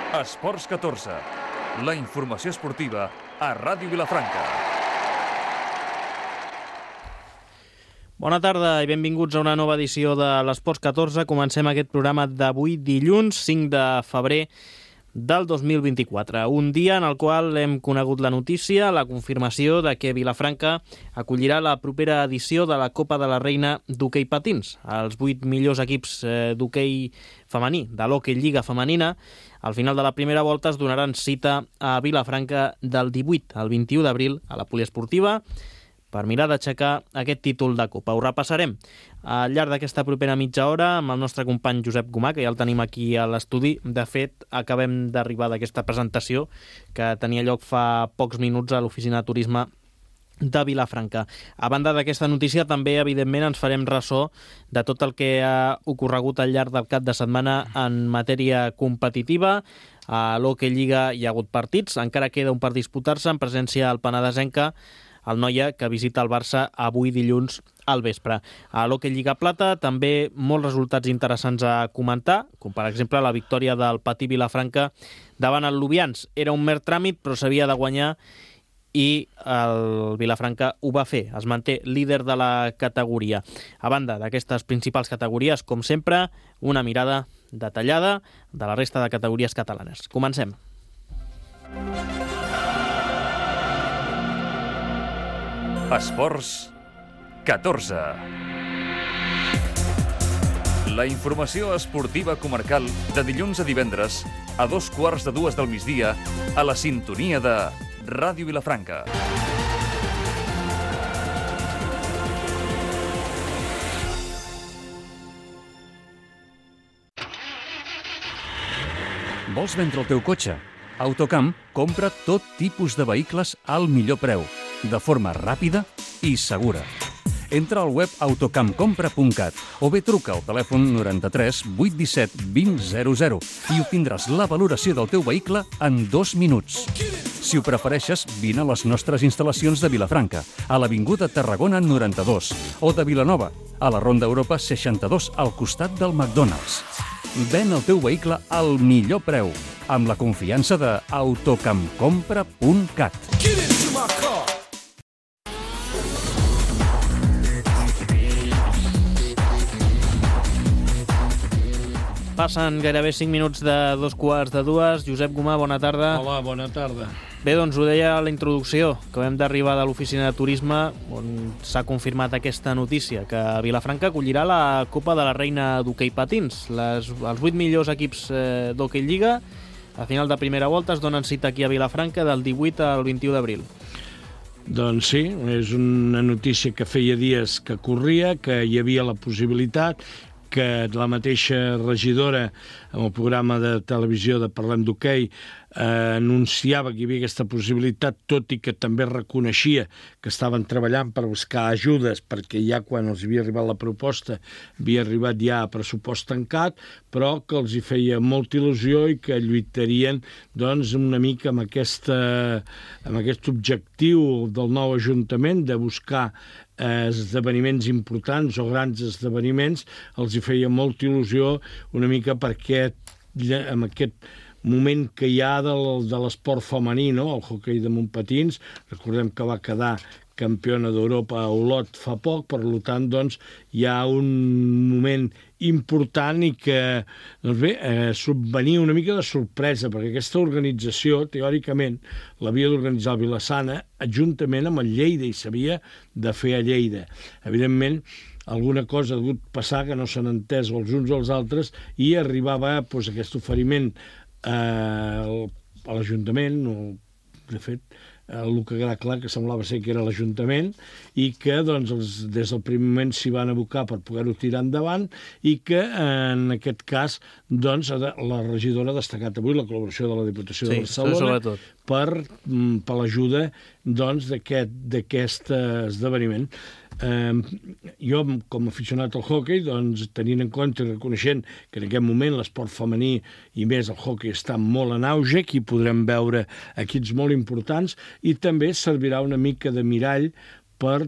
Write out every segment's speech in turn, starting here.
Esports 14, la informació esportiva a Ràdio Vilafranca. Bona tarda i benvinguts a una nova edició de l'Esports 14. Comencem aquest programa d'avui dilluns 5 de febrer del 2024. Un dia en el qual hem conegut la notícia, la confirmació de que Vilafranca acollirà la propera edició de la Copa de la Reina d'hoquei patins. Els 8 millors equips d'hoquei femení de l'Hockey Lliga femenina al final de la primera volta es donaran cita a Vilafranca del 18 al 21 d'abril a la poliesportiva per mirar d'aixecar aquest títol de Copa. Ho repassarem al llarg d'aquesta propera mitja hora amb el nostre company Josep Gomà, que ja el tenim aquí a l'estudi. De fet, acabem d'arribar d'aquesta presentació que tenia lloc fa pocs minuts a l'oficina de turisme de Vilafranca. A banda d'aquesta notícia, també, evidentment, ens farem ressò de tot el que ha ocorregut al llarg del cap de setmana en matèria competitiva. A l'Hockey Lliga hi ha hagut partits, encara queda un per disputar-se en presència al penedesenca, el Noia, que visita el Barça avui dilluns al vespre. A l'Hockey Lliga Plata també molts resultats interessants a comentar, com per exemple la victòria del Patí Vilafranca davant el Lubians. Era un mer tràmit, però s'havia de guanyar i el Vilafranca ho va fer. Es manté líder de la categoria. A banda d'aquestes principals categories, com sempre, una mirada detallada de la resta de categories catalanes. Comencem. Esports 14. La informació esportiva comarcal de dilluns a divendres a 2:15 del migdia a la sintonia de Ràdio Vilafranca. Vols vendre el teu cotxe? Autocamp compra tot tipus de vehicles al millor preu, de forma ràpida i segura. Entra al web autocampcompra.cat o bé truca al telèfon 93 817 2000 i obtindràs la valoració del teu vehicle en 2 minuts. Si ho prefereixes, vine a les nostres instal·lacions de Vilafranca, a l'Avinguda Tarragona 92, o de Vilanova, a la Ronda Europa 62, al costat del McDonald's. Ven el teu vehicle al millor preu, amb la confiança de autocampcompra.cat. Passen gairebé 5 minuts de 2:15. Josep Gomà, bona tarda. Hola, bona tarda. Bé, doncs ho deia a la introducció, que vam d'arribar de l'oficina de turisme on s'ha confirmat aquesta notícia, que Vilafranca acollirà la Copa de la Reina d'hoquei patins. Els 8 millors equips d'Hockey Lliga a final de primera volta es donen cita aquí a Vilafranca del 18 al 21 d'abril. Doncs sí, és una notícia que feia dies que corria, que hi havia la possibilitat, que la mateixa regidora en el programa de televisió de Parlem d'Hoquei anunciava que hi havia aquesta possibilitat, tot i que també reconeixia que estaven treballant per buscar ajudes, perquè ja quan els havia arribat la proposta havia arribat ja a pressupost tancat, però que els hi feia molta il·lusió i que lluitarien doncs, una mica amb aquest objectiu del nou Ajuntament de buscar esdeveniments importants o grans esdeveniments. Els hi feia molta il·lusió una mica perquè amb aquest moment que hi ha de l'esport femení, no? El hoquei de montpatins, recordem que va quedar campiona d'Europa a Olot fa poc, per tant, doncs, hi ha un moment important i que, doncs bé, subvenia una mica de sorpresa, perquè aquesta organització, teòricament, l'havia d'organitzar el Vilassana juntament amb el Lleida i s'havia de fer a Lleida. Evidentment, alguna cosa ha hagut passar que no s'han entès els uns o els altres i arribava doncs, aquest oferiment a l'Ajuntament, o, de fet, el que queda clar que semblava ser que era l'Ajuntament i que doncs, des del primer moment s'hi van abocar per poder-ho tirar endavant i que en aquest cas doncs, la regidora ha destacat avui la col·laboració de la Diputació de Barcelona per l'ajuda doncs, d'aquest esdeveniment. Jo, com a aficionat al hoquei, doncs, tenint en compte i reconeixent que en aquest moment l'esport femení i més el hoquei està molt en auge, aquí podrem veure equips molt importants i també servirà una mica de mirall per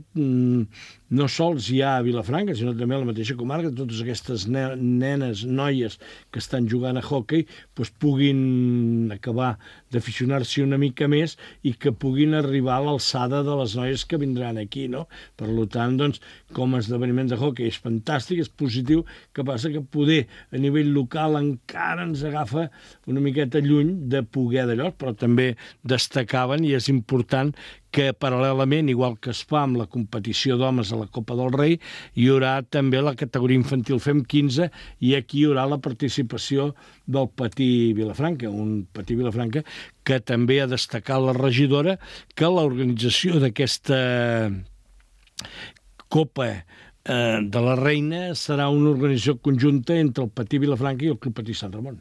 no sols hi ha a Vilafranca, sinó també a la mateixa comarca, totes aquestes nenes, noies que estan jugant a hoquei, doncs puguin acabar d'aficionar-s'hi una mica més i que puguin arribar a l'alçada de les noies que vindran aquí, no? Per tant, doncs, com a esdeveniment de hoquei és fantàstic, és positiu, que passa que poder a nivell local encara ens agafa una miqueta lluny de poder d'allò, però també destacaven, i és important, que paral·lelament, igual que es fa amb la competició d'homes a la Copa del Rei, hi haurà també la categoria infantil FEM 15 i aquí hi haurà la participació del Patí Vilafranca, un Patí Vilafranca que també ha destacat la regidora que l'organització d'aquesta Copa de la Reina serà una organització conjunta entre el Patí Vilafranca i el Club Patí Sant Ramon.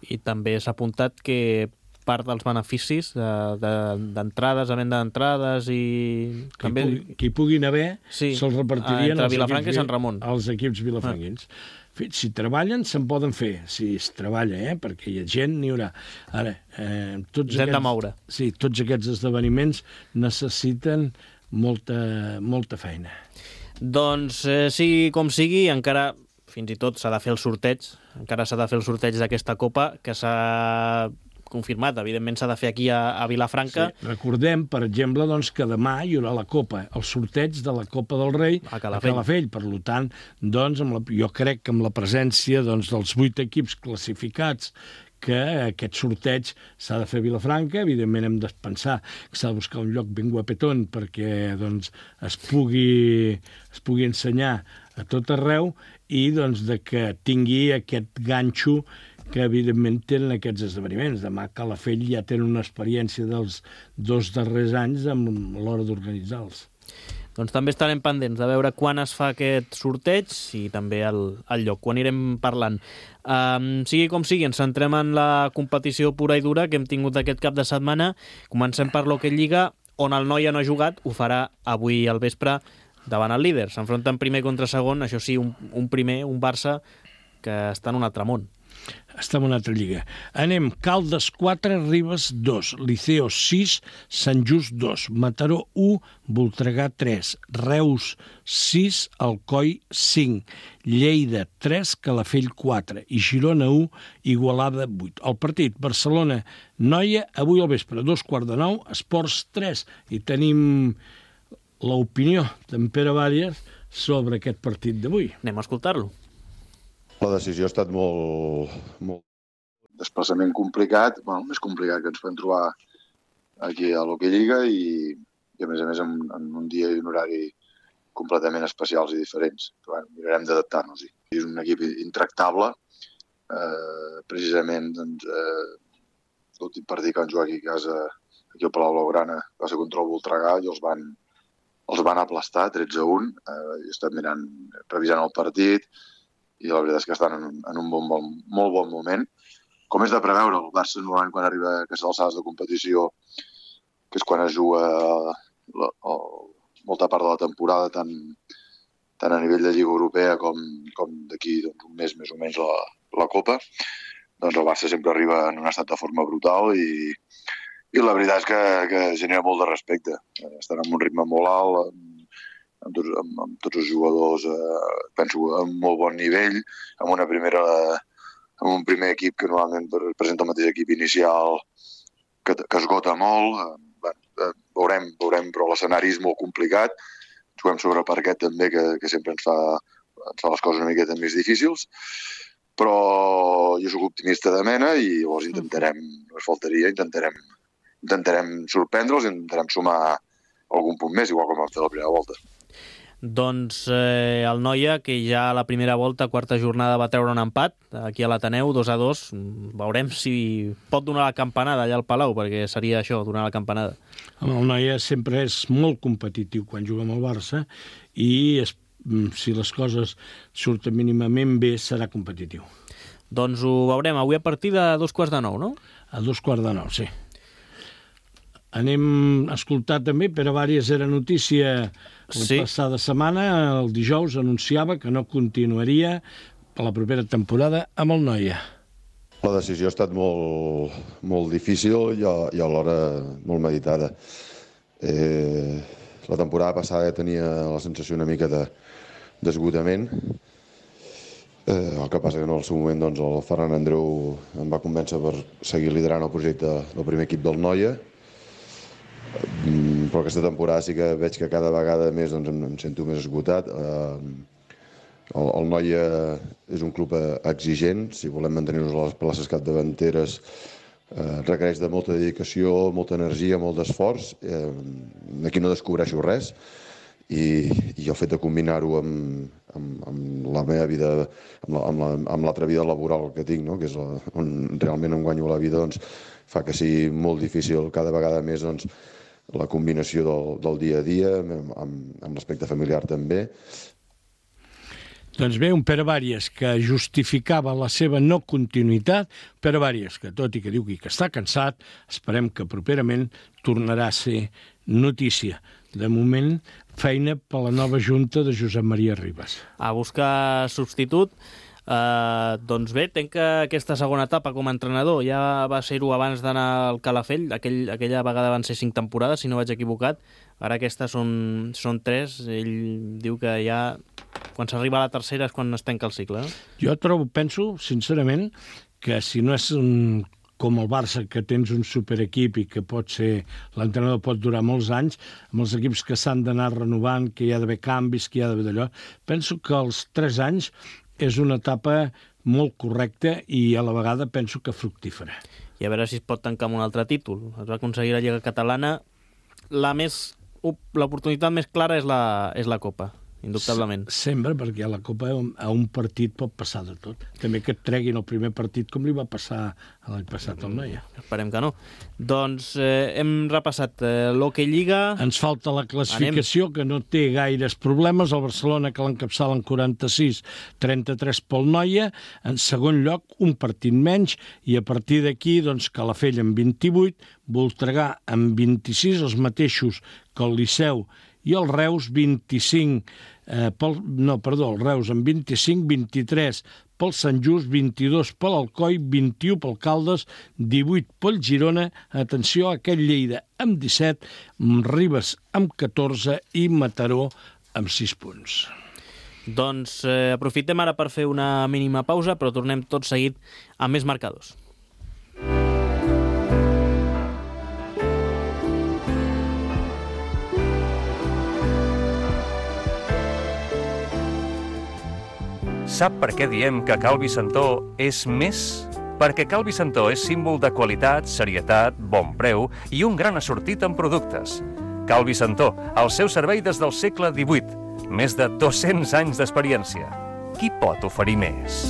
I també s'ha apuntat que part dels beneficis d'entrades, a venda d'entrades i... Que hi puguin haver, se'ls repartirien entre Vilafranca i Sant Ramon. Als equips vilafranquins. Si treballen, se'n poden fer. Si es treballa, perquè hi ha gent, n'hi haurà. Ara, tots aquests esdeveniments necessiten molta feina. Doncs, sigui com sigui, encara fins i tot s'ha de fer el sorteig, d'aquesta Copa, que s'ha confirmat, evidentment s'ha de fer aquí a Vilafranca. Sí. Recordem, per exemple, doncs, que demà hi haurà la Copa, el sorteig de la Copa del Rei a Calafell. Per tant, doncs, jo crec que amb la presència dels 8 equips classificats que aquest sorteig s'ha de fer a Vilafranca. Evidentment hem de pensar que s'ha de buscar un lloc ben guapetón perquè doncs, es pugui ensenyar a tot arreu i doncs, de que tingui aquest ganxo que evidentment tenen aquests esdeveniments. Demà a Calafell ja tenen una experiència dels 2 darrers anys a l'hora d'organitzar-los. Doncs també estarem pendents de veure quan es fa aquest sorteig i també el lloc, quan anirem parlant. Sigui com sigui, ens centrem en la competició pura i dura que hem tingut aquest cap de setmana. Comencem per l'Hockey Lliga, on el Noia no ha jugat, ho farà avui al vespre davant el líder. S'enfronten primer contra segon, això sí, un primer, un Barça, que està en un altre món. Està en una altra lliga. Anem, Caldes 4, Ribes 2, Liceo 6, Sant Just 2, Mataró 1, Voltregà 3, Reus 6, Alcoi 5, Lleida 3, Calafell 4 i Girona 1, Igualada 8. El partit Barcelona-Noia, avui al vespre, 2:15, Esports 3. I tenim l'opinió d'en Pere Vàries sobre aquest partit d'avui. Anem a escoltar-lo. La decisió ha estat molt desplaçament complicat, més complicat que ens podem trobar aquí a l'Hockey Lliga i a més en un dia i un horari completament especials i diferents. Però, mirarem d'adaptar-nos-hi. És un equip intractable, precisament l'últim partit que van jugar aquí a casa, aquí al Palau Blaugrana, va ser contra el Voltregà i els van aplastar 13-1. He estat revisant el partit i la veritat és que estan en un molt bon moment. Com és de preveure, el Barça normalment quan arriba a aquestes alçades de competició, que és quan es juga molta part de la temporada, tant a nivell de Lliga Europea com d'aquí un mes més o menys la Copa, doncs el Barça sempre arriba en un estat de forma brutal i la veritat és que genera molt de respecte. Estan en un ritme molt alt, amb tots els jugadors, penso, a un molt bon nivell, amb un primer equip que normalment presenta el mateix equip inicial que esgota molt. Veurem, però l'escenari és molt complicat. Juguem sobre parquet també, que sempre ens fa les coses una miqueta més difícils, però jo soc optimista de mena i llavors intentarem sorprendre'ls i intentarem sumar algun punt més, igual com vam fer la primera volta. Doncs el Noia, que ja a la primera volta, quarta jornada, va treure un empat aquí a l'Ateneu, 2-2. Veurem si pot donar la campanada allà al Palau, perquè seria això, donar la campanada. El Noia sempre és molt competitiu quan juga amb el Barça i si les coses surten mínimament bé, serà competitiu. Doncs ho veurem avui a partir de 8:45, no? A 8:45, sí. Anem a escoltar també, Pere Vàries era notícia la passada setmana, el dijous anunciava que no continuaria per la propera temporada amb el Noia. La decisió ha estat molt difícil i alhora molt meditada. La temporada passada tenia la sensació una mica d'esgotament. El que passa que en el seu moment doncs, el Ferran Andreu em va convèncer per seguir liderant el projecte del primer equip del Noia. Però aquesta temporada sí que veig que cada vegada més doncs, em sento més esgotat. El Noia és un club exigent. Si volem mantenir-nos a les places capdavanteres requereix de molta dedicació, molta energia, molt d'esforç. Aquí no descobreixo res. I el fet de combinar-ho amb la meva vida, amb l'altra vida laboral que tinc, no? Que és on realment em guanyo la vida, doncs, fa que sigui molt difícil cada vegada més doncs, la combinació del dia a dia, amb l'aspecte familiar també. Doncs bé, un Pere Bàries que justificava la seva no continuïtat, Pere Bàries que tot i que diu que està cansat, esperem que properament tornarà a ser notícia. De moment, feina per la nova junta de Josep Maria Ribas. A buscar substitut. Doncs bé, tenc que aquesta segona etapa com a entrenador ja va ser-ho abans d'anar al Calafell. Aquella vegada van ser 5 temporades, si no vaig equivocat. Ara aquestes són 3. Ell diu que ja quan s'arriba a la tercera és quan es tanca el cicle. Jo penso, sincerament, que si no és com el Barça, que tens un superequip i que l'entrenador pot durar molts anys, amb els equips que s'han d'anar renovant, que hi ha d'haver canvis, que hi ha d'haver d'allò, penso que els 3 anys és una etapa molt correcta i a la vegada penso que fructífera. I a veure si es pot tancar amb un altre títol. Es va aconseguir la Lliga Catalana. L'oportunitat més clara és la Copa, indubtablement. Sempre, perquè a la Copa a un partit pot passar de tot. També que et treguin el primer partit com li va passar l'any passat al Noia. Esperem que no. Doncs hem repassat l'Hockey Lliga. Ens falta la classificació, que no té gaires problemes. El Barcelona, que l'encapçala en 46, 33 pel Noia. En segon lloc, un partit menys. I a partir d'aquí, doncs, Calafell amb 28, Voltregà amb 26, els mateixos que el Liceu i el Reus, 25, el Reus amb 25, 23 pel Sant Just, 22 per l'Alcoi, 21 pel Caldes, 18 pel Girona, atenció, aquell Lleida amb 17, Ribes amb 14 i Mataró amb 6 punts. Doncs aprofitem ara per fer una mínima pausa, però tornem tot seguit amb més marcadors. Sap per què diem que Cal Vicentó és més? Perquè Cal Vicentó és símbol de qualitat, serietat, bon preu i un gran assortit en productes. Cal Vicentó, al seu servei des del segle XVIII. Més de 200 anys d'experiència. Qui pot oferir més?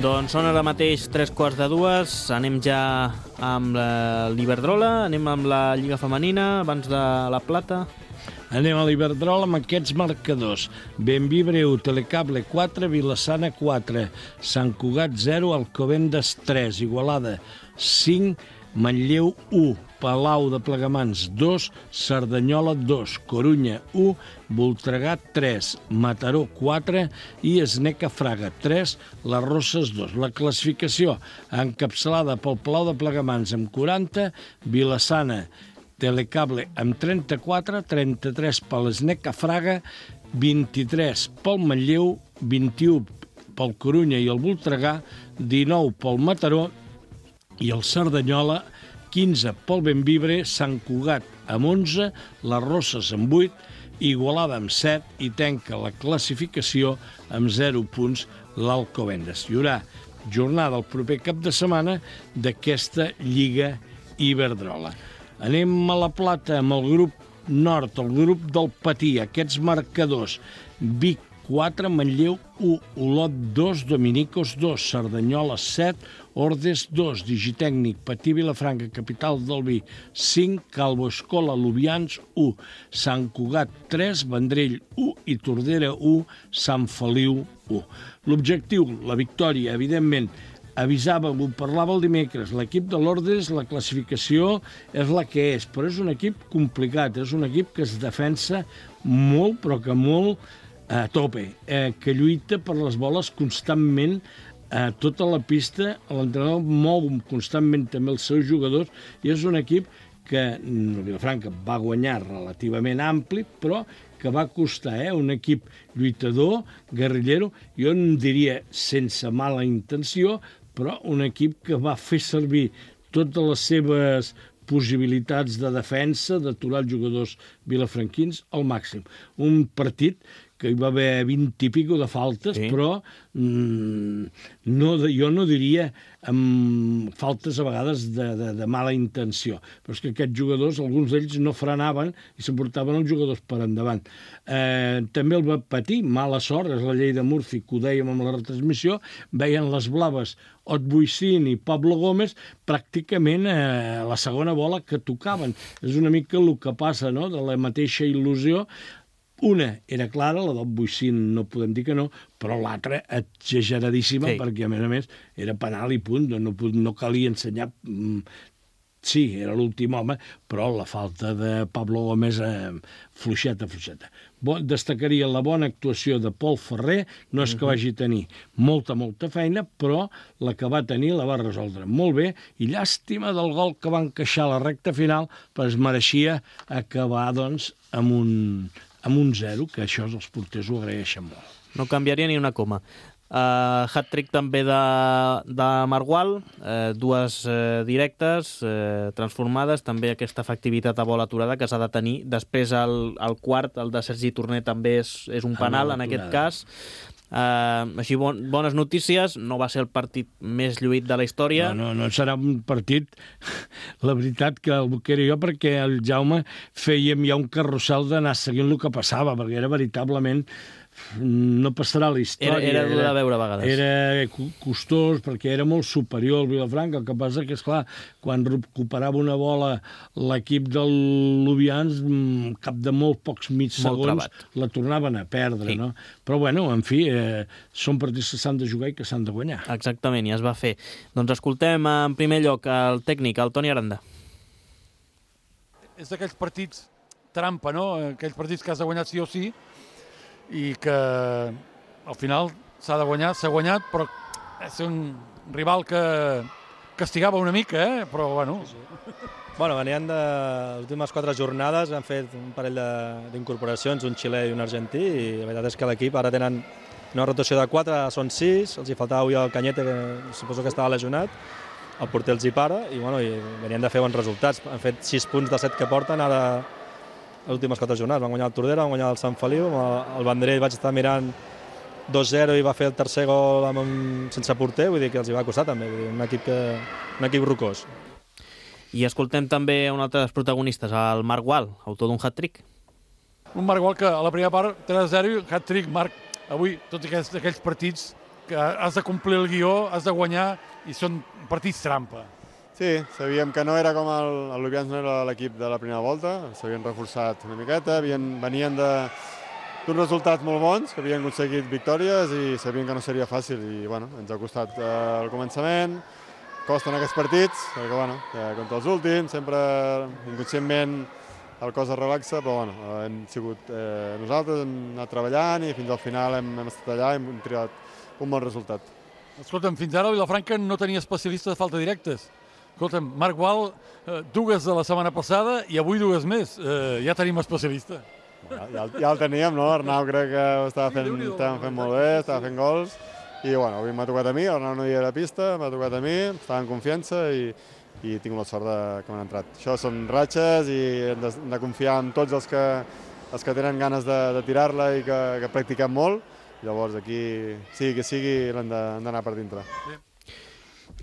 Doncs són ara mateix 3:45, anem ja amb l'Iberdrola, anem amb la Lliga Femenina, abans de la Plata. Anem a l'Iberdrola amb aquests marcadors. Bembibre 1, Telecable 4, Vilassana 4, Sant Cugat 0, Alcobendas 3, Igualada 5, Manlleu 1, Palau de Plegamans 2, Cerdanyola 2, Corunya 1, Voltregà 3, Mataró 4 i Esneca Fraga 3, Les Rosses 2. La classificació encapçalada pel Palau de Plegamans amb 40, Vilassana, Telecable amb 34, 33 per l'Esneca Fraga, 23 pel Manlleu, 21 pel Corunya i el Voltregà, 19 pel Mataró i el Cerdanyola, 15 pel Bembibre, Sant Cugat amb 11, Les Rosses amb 8, Igualada amb 7 i tanca la classificació amb 0 punts l'Alcobendas. Hi haurà jornada el proper cap de setmana d'aquesta Lliga Iberdrola. Anem a la Plata amb el grup nord, el grup del Patí, aquests marcadors. Vic 4, Manlleu 1, Olot 2, Dominicos 2, Cerdanyola 7, Ordes 2, Digitècnic, Patí Vilafranca, capital del vi 5, Calvo Escola, Lubians 1, Sant Cugat 3, Vendrell 1 i Tordera 1, Sant Feliu 1. L'objectiu, la victòria, evidentment, avisàvem, ho parlava el dimecres, l'equip de l'Ordes, la classificació és la que és, però és un equip complicat, és un equip que es defensa molt, però que molt a tope, que lluita per les boles constantment tota la pista, l'entrenador mou constantment també els seus jugadors i és un equip que Vilafranca va guanyar relativament ampli, però que va costar, un equip lluitador, guerrillero, jo en diria sense mala intenció, però un equip que va fer servir totes les seves possibilitats de defensa, d'aturar els jugadors vilafranquins al màxim. Un partit que hi va haver 20 i pico de faltes, sí. Però jo no diria amb faltes a vegades de mala intenció. Però és que aquests jugadors, alguns d'ells no frenaven i s'emportaven els jugadors per endavant. També el va patir, mala sort, és la llei de Murphy, que ho dèiem amb la retransmissió, veien les blaves Otbuicín i Pablo Gómez pràcticament la segona bola que tocaven. És una mica el que passa, no?, de la mateixa il·lusió. Una era clara, la d'Otbuicín no podem dir que no, però l'altra exageradíssima, sí. Perquè a més era penal i punt, no calia ensenyar. Sí, era l'últim home, però la falta de Pablo Gómez fluixeta. Destacaria la bona actuació de Pol Ferrer, no és que vagi tenir molta feina, però la que va tenir la va resoldre molt bé, i llàstima del gol que va encaixar a la recta final, però es mereixia acabar, doncs, amb un 0, que això els porters ho agraeixen molt. No canviaria ni una coma. Hat-trick també de Margual, dues directes transformades, també aquesta efectivitat a bola aturada que s'ha de tenir. Després el quart, el de Sergi Torner, també és un penal en aquest cas. Així, bones notícies. No va ser el partit més lluït de la història. No serà un partit, la veritat, que el era jo, perquè el Jaume fèiem ja un carrusel d'anar seguint el que passava, perquè era veritablement... no passarà la història. Era dur de veure a vegades. Era costós, perquè era molt superior al Vilafranca. El que passa que, esclar, quan recuperava una bola l'equip del Lubians, cap de molt pocs mig segons, la tornaven a perdre, sí. No? Però, bueno, en fi, són partits que s'han de jugar i que s'han de guanyar. Exactament, i es va fer. Doncs escoltem en primer lloc el tècnic, el Toni Aranda. És d'aquells partits trampa, no? Aquells partits que has de guanyar sí o sí, i que al final s'ha de guanyar, s'ha guanyat, però és un rival que castigava una mica, però bueno... Bueno, venien de les últimes 4 jornades, han fet un parell d'incorporacions, un xilè i un argentí, i la veritat és que l'equip ara tenen una rotació de 4, són 6, els hi faltava avui el Cañete, que suposo que estava lesionat, el porter els hi para, i bueno, venien de fer bons resultats. Han fet 6 punts de 7 que porten ara... les últimes 4 jornades. Van guanyar el Tordera, van guanyar el Sant Feliu, el Vendrell vaig estar mirant 2-0 i va fer el tercer gol sense porter, vull dir que els hi va costar també, un equip rocós. I escoltem també un altre dels protagonistes, el Marc Gual, autor d'un hat-trick. Un Marc Gual que a la primera part 3-0, hat-trick, Marc, avui tots aquells partits que has de complir el guió, has de guanyar i són partits trampa. Sí, sabíem que no era com el Lubians, no era l'equip de la primera volta, s'havien reforçat una miqueta, venien d'uns resultats molt bons, que havien aconseguit victòries i sabien que no seria fàcil i bueno, ens ha costat al començament, costen aquests partits, perquè bueno, contra els últims, sempre inconscientment el cos es relaxa, però bueno, hem sigut nosaltres, hem anat treballant i fins al final hem estat allà i hem triat un bon resultat. Escolta'm, fins ara el Vilafranca no tenia especialista de falta directes. Escolta'm, Marc Gual, 2 de la setmana passada i avui 2 més. Ja tenim especialista. Ja el teníem, no? Arnau crec que ho estava fent molt bé, estava fent gols. I bueno, avui m'ha tocat a mi, Arnau no hi era a pista, m'ha tocat a mi, estava en confiança i tinc la sort que m'han entrat. Això són ratxes i hem de confiar en tots els que tenen ganes de tirar-la i que practiquem molt. Llavors aquí, sigui que sigui, l'hem d'anar per dintre.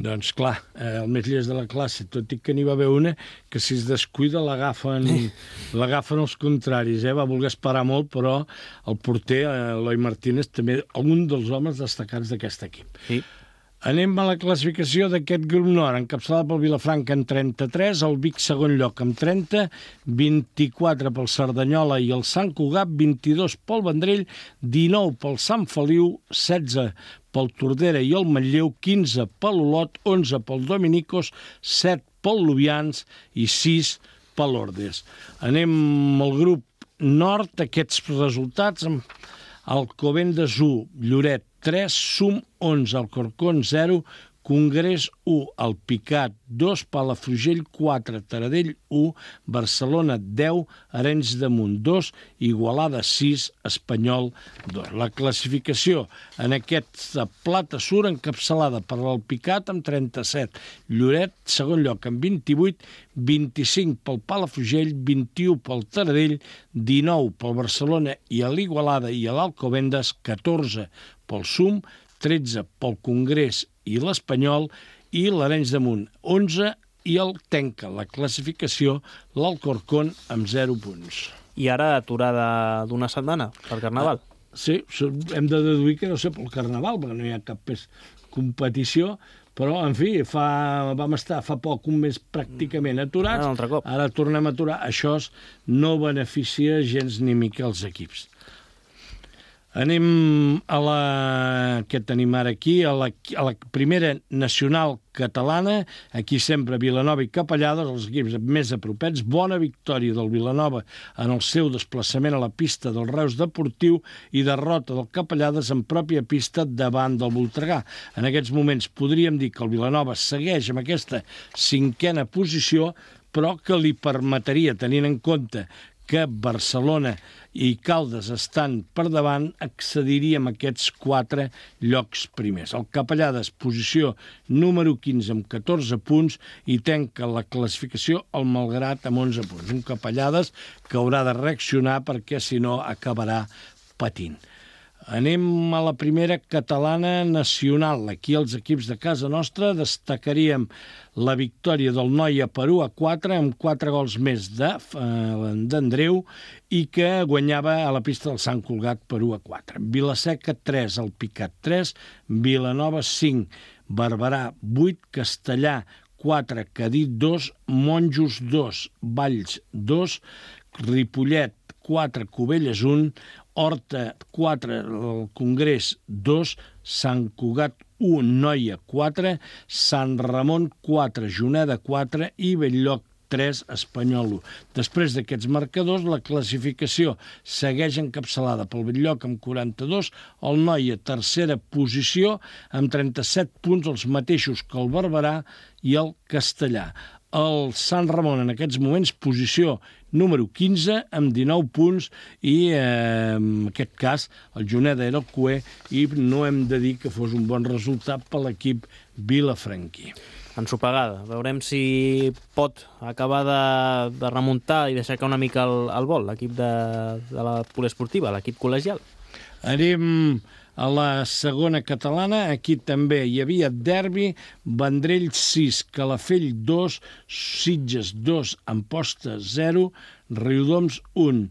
Doncs clar, el més llest de la classe, tot i que n'hi va haver una que si es descuida l'agafen els contraris, va voler esperar molt, però el porter, Eloi Martínez, també un dels homes destacats d'aquest equip. Sí. Anem a la classificació d'aquest grup nord, encapçalada pel Vilafranca amb 33, el Vic segon lloc amb 30, 24 pel Cerdanyola i el Sant Cugat, 22 pel Vendrell, 19 pel Sant Feliu, 16 pel Tordera i el Manlleu, 15 pel Olot, 11 pel Dominicos, 7 pel Lubians i 6 pel Ordes. Anem al grup nord, aquests resultats amb Alcobendas 1, Lloret 3, Sum 11, Alcorcón 0, Congrés 1, Alpicat 2, Palafrugell 4, Taradell 1, Barcelona 10, Arenys de Munt 2, Igualada 6, Espanyol 2. La classificació en aquesta plata surt encapçalada per l'Alpicat amb 37, Lloret, segon lloc amb 28, 25 pel Palafrugell, 21 pel Taradell, 19 pel Barcelona i a l'Igualada i a l'Alcobendas, 14 pel Sum, 13 pel Congrés i l'Espanyol i l'Arenys de Munt, 11 i el tanca la classificació l'Alcorcón amb 0 punts. I ara aturada d'una setmana per Carnaval. Sí, hem de deduir que no sé pel Carnaval, perquè no hi ha cap competició, però, en fi, vam estar fa poc, un mes pràcticament aturats, un altre cop. Ara tornem a aturar. Això no beneficia gens ni mica els equips. Anem què tenim ara aquí, a la primera nacional catalana, aquí sempre Vilanova i Capellades, els equips més apropets, bona victòria del Vilanova en el seu desplaçament a la pista del Reus Deportiu i derrota del Capellades en pròpia pista davant del Voltregà. En aquests moments podríem dir que el Vilanova segueix amb aquesta 5a posició, però que li permetria, tenint en compte que Barcelona i Caldes estan per davant, accediríem a aquests 4 llocs primers. El Capellades, posició número 15 amb 14 punts i tanca la classificació el Malgrat amb 11 punts. Un Capellades que haurà de reaccionar perquè, si no, acabarà patint. Anem a la primera catalana nacional. Aquí els equips de casa nostra destacaríem la victòria del Noia per 1-4 amb 4 gols més d'Andreu i que guanyava a la pista del Sant Cugat per 1-4. Vilaseca 3, Alpicat 3, Vilanova 5, Barberà 8, Castellà 4, Cadí 2, Monjos 2, Valls 2, Ripollet 4, Cubelles 1, Horta 4, el Congrés 2, Sant Cugat 1, Noia 4, Sant Ramon 4, Juneda 4 i Belllloc 3, Espanyol 1. Després d'aquests marcadors, la classificació segueix encapçalada pel Belllloc amb 42, el Noia tercera posició amb 37 punts, els mateixos que el Barberà i el Castellà. El Sant Ramon, en aquests moments, posició número 15, amb 19 punts, i en aquest cas el Juneda era el cuer i no hem de dir que fos un bon resultat per l'equip vilafranquí. Ensopegada. Veurem si pot acabar de remuntar i deixar una mica el vol, l'equip de la poliesportiva, l'equip col·legial. Anem a la segona catalana, aquí també hi havia derbi, Vendrell 6, Calafell 2, Sitges 2, Amposta 0, Riudoms 1,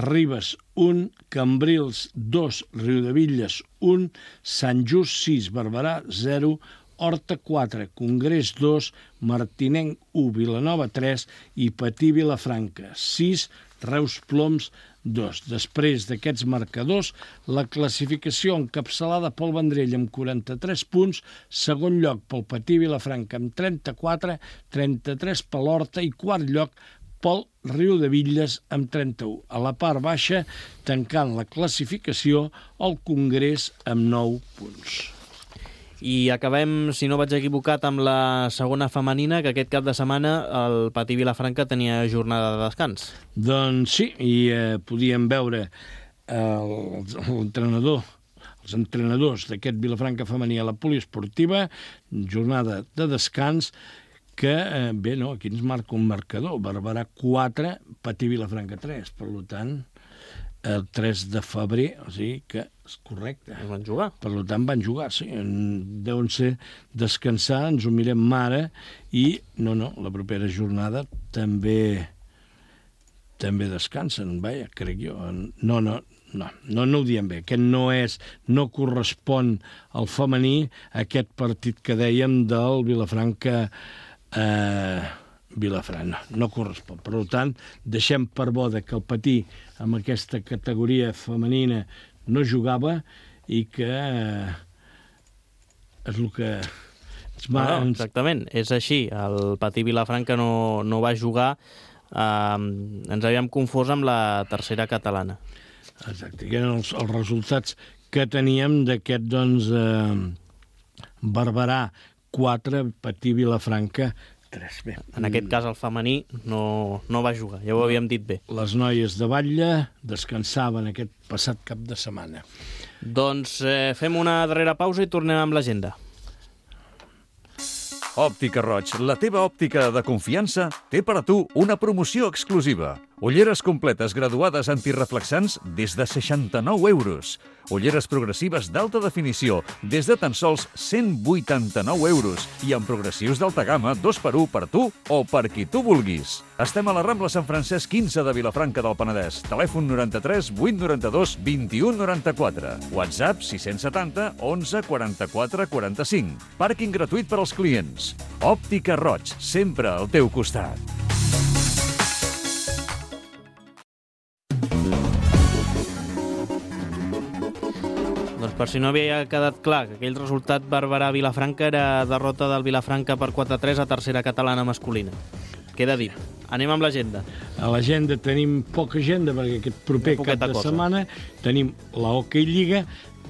Ribes 1, Cambrils 2, Riudevilles 1, Sant Just 6, Barberà 0, Horta 4, Congrés 2, Martinenc 1, Vilanova 3 i Patí Vilafranca 6, Reus Ploms 2. Després d'aquests marcadors, la classificació encapçalada pel Vendrell amb 43 punts, segon lloc pel Patí Vilafranca amb 34, 33 per l'Horta i quart lloc pel Riudevilles amb 31. A la part baixa, tancant la classificació, el Congrés amb 9 punts. I acabem, si no vaig equivocat, amb la segona femenina, que aquest cap de setmana el Patí Vilafranca tenia jornada de descans. Doncs sí, i podíem veure els entrenadors d'aquest Vilafranca femení a la poliesportiva, jornada de descans, que, aquí ens marca un marcador, Barberà 4, Patí Vilafranca 3, per tant, el 3 de febrer, o sigui que és correcte. Van jugar. Per tant, van jugar, sí. Deuen ser descansar, ens ho mirem ara, i la propera jornada també descansen, vaja, crec jo. No ho diem bé. Aquest no correspon al femení, aquest partit que dèiem del Vilafranca no correspon. Per tant, deixem per bo que el Patí amb aquesta categoria femenina no jugava i que és el que... Exactament, és així. El Patí Vilafranca no va jugar. Ens havíem confós amb la tercera catalana. Exacte, que eren els resultats que teníem d'aquest, doncs, Barberà 4, Patí Vilafranca 3. Bé, En aquest cas el femení no va jugar, ja ho havíem dit bé. les noies de Batlle descansaven aquest passat cap de setmana. Doncs fem una darrera pausa i tornem amb l'agenda. Òptica Roig, la teva òptica de confiança, té per a tu una promoció exclusiva. Ulleres completes graduades antireflexants des de 69 euros. Ulleres progressives d'alta definició des de tan sols 189 euros. I amb progressius d'alta gamma 2x1 per tu o per qui tu vulguis. Estem a la Rambla Sant Francesc 15 de Vilafranca del Penedès. Telèfon 93 892 21 94. WhatsApp 670 11 44 45. Pàrquing gratuït per als clients. Òptica Roig, sempre al teu costat. Doncs per si no havia quedat clar que aquell resultat Barberà-Vilafranca era derrota del Vilafranca per 4-3 a tercera catalana masculina. Queda dit. Anem amb l'agenda. A l'agenda tenim poca agenda perquè aquest proper cap de setmana tenim la Hockey Lliga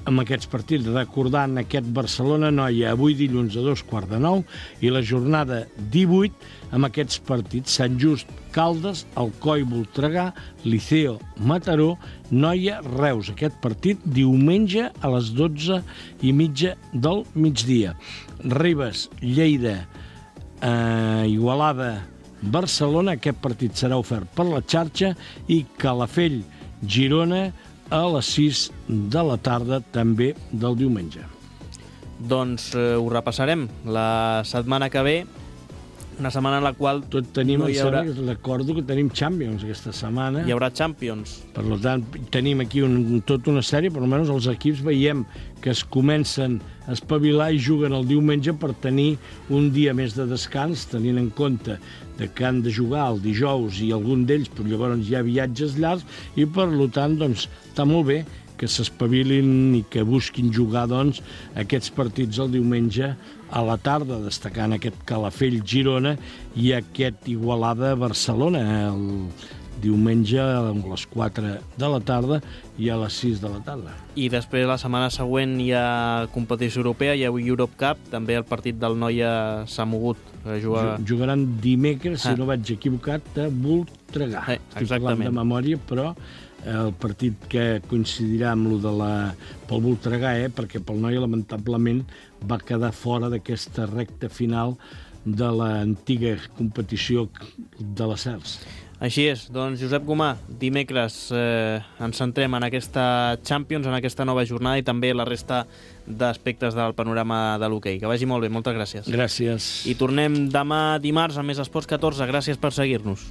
amb aquests partits, recordant aquest Barcelona-Noia avui dilluns a 2:15 i la jornada 18 amb aquests partits: Sant Just, Caldes, Alcoi, Voltregà, Liceo, Mataró, Noia, Reus. Aquest partit diumenge a les 12:30 del migdia. Ribes, Lleida, Igualada, Barcelona. Aquest partit serà ofert per la xarxa. I Calafell, Girona, a les 6 de la tarda, també del diumenge. Doncs ho repassarem la setmana que ve, una setmana en la qual Tot tenim, no hi haurà... recordo que tenim Champions aquesta setmana. Hi haurà Champions. Per tant, tenim aquí tota una sèrie, per almenys els equips veiem que es comencen a espavilar i juguen el diumenge per tenir un dia més de descans, tenint en compte que han de jugar el dijous i algun d'ells, però llavors hi ha viatges llargs i, per tant, doncs, està molt bé que s'espavilin i que busquin jugar, doncs, aquests partits el diumenge a la tarda, destacant aquest Calafell-Girona i aquest Igualada-Barcelona el diumenge a les 4 de la tarda i a les 6 de la tarda. I després, la setmana següent, hi ha competició europea, hi ha Europe Cup, també el partit del Noia s'ha mogut a jugar... Jugaran dimecres, si no vaig equivocat, a Voltregà. Estic parlant de memòria, però el partit que coincidirà amb lo de pel Voltregà, perquè pel Noia, lamentablement, va quedar fora d'aquesta recta final de l'antiga competició de la CERS. Així és. Doncs, Josep Gomà, dimecres ens centrem en aquesta Champions, en aquesta nova jornada i també la resta d'aspectes del panorama de l'hoquei. Que vagi molt bé, moltes gràcies. Gràcies. I tornem demà dimarts a Més Esports 14. Gràcies per seguir-nos.